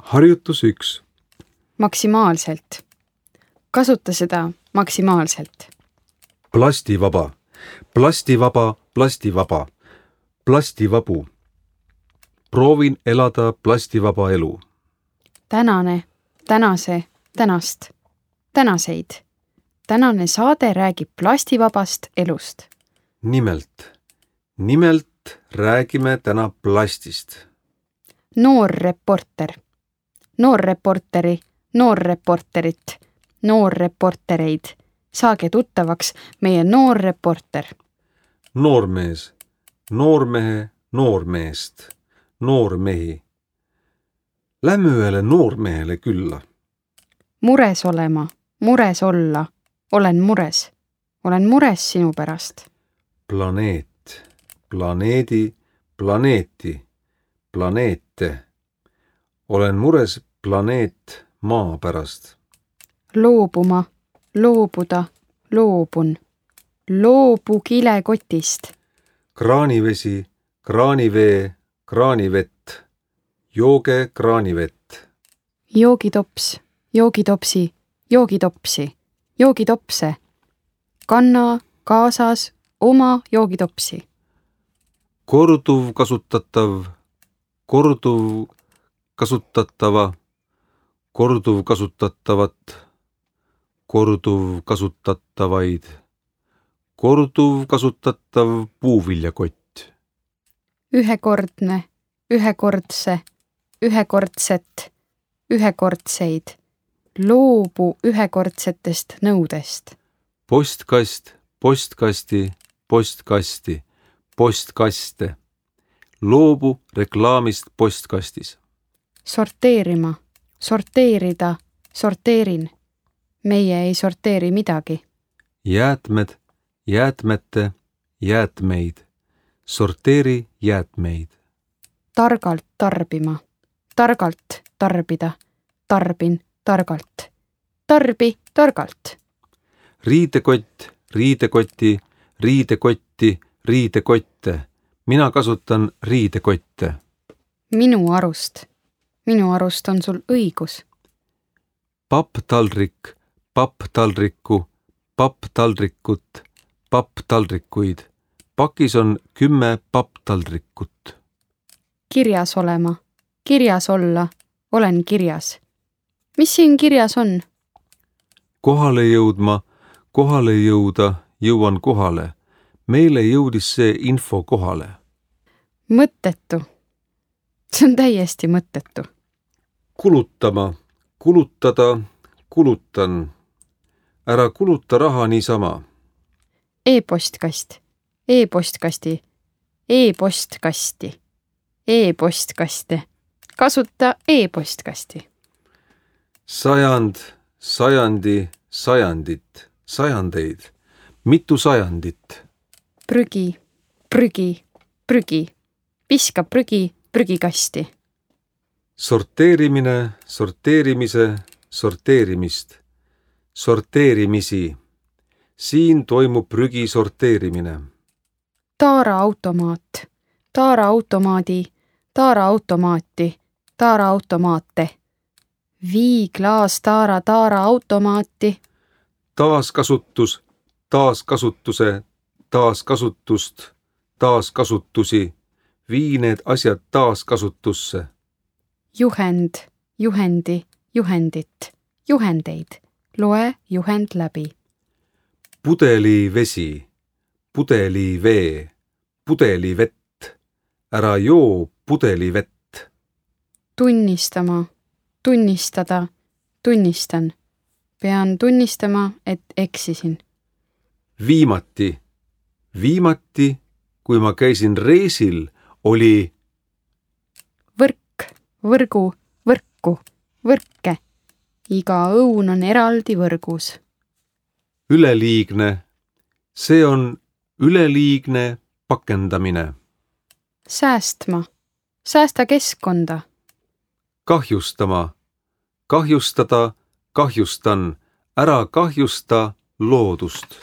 Harjutus 1. Maksimaalselt. Kasuta seda maksimaalselt. Plastivaba, plastivaba, plastivaba, plastivabu. Proovin elada plastivaba elu. Tänane, tänase, tänast, tänaseid. Tänane saade räägib plastivabast elust. Nimelt räägime täna plastist. Noorreporter. Noorreporteri, noorreporterit, noorreportereid. Saage tuttavaks meie noorreporter. Noormees, noormehe, noormeest, noormehi. Lähme ühele noormehele külla. Mures olema, mures olla. Olen mures. Olen mures sinu pärast. Planeet, planeedi, planeeti, planeete. Olen mures planeet maa pärast. Loobuma, loobuda, loobun. Loobu kilekotist. Kraanivesi, kraanivee, kraanivett. Jooge kraanivett. Joogitops, joogitopsi, joogitopsi, joogitopse. Kanna kaasas oma joogitopsi. Korduvkasutatav, korduvkasutatava, korduvkasutatavat, korduvkasutatavaid, korduvkasutatav puuviljakott. Ühekordne, ühekordse, ühekordset, ühekordseid. Loobu ühekordsetest nõudest. Postkast, postkasti, postkasti, postkaste. Loobu reklaamist postkastis. Sorteerima, sorteerida, sorteerin. Meie ei sorteeri midagi. Jäätmed, jäätmete, jäätmeid. Sorteeri jäätmeid. Targalt tarbima, targalt tarbida, tarbin targalt. Tarbi targalt. Riidekott, riidekoti, riidekotti, riidekotte. Mina kasutan riidekotte. Minu arust on sul õigus. Papptaldrik, papptaldrikku, papptaldrikut, papptaldrikuid. Pakis on 10 papptaldrikut. Kirjas olema, kirjas olla, olen kirjas. Mis siin kirjas on? Kohale jõudma, kohale jõuda, jõuan kohale. Meile jõudis see info kohale. Mõttetu. See on täiesti mõttetu. Kulutama, kulutada, kulutan. Ära kuluta raha niisama. E-postkast, e-postkasti, e-postkasti, e-postkaste. Kasuta e-postkasti. Sajand, sajandi, sajandit, sajandeid. Mitu sajandit? Prügi, prügi, prügi. Piska prügi prügikasti. Sorteerimine, sorteerimise, sorteerimist. Sorteerimisi. Siin toimub prügi sorteerimine. Taaraautomaat, taaraautomaadi, taaraautomaati, taaraautomaate. Vii klaas taaraautomaati. Taaskasutus, taaskasutuse, taaskasutust, taaskasutusi. Vii need asjad taaskasutusse. Juhend, juhendi, juhendit, juhendeid. Loe juhend läbi. Pudelivesi, pudelivee, pudelivett. Ära joo pudelivett. Tunnistama, tunnistada, tunnistan. Pean tunnistama, et eksisin. Viimati, viimati, kui ma käisin reisil, oli võrk, võrgu, võrku, võrke. Iga õun on eraldi võrgus. Üleliigne. See on üleliigne pakendamine. Säästma, säästa keskkonda. Kahjustama, kahjustada, kahjustan. Ära kahjusta loodust.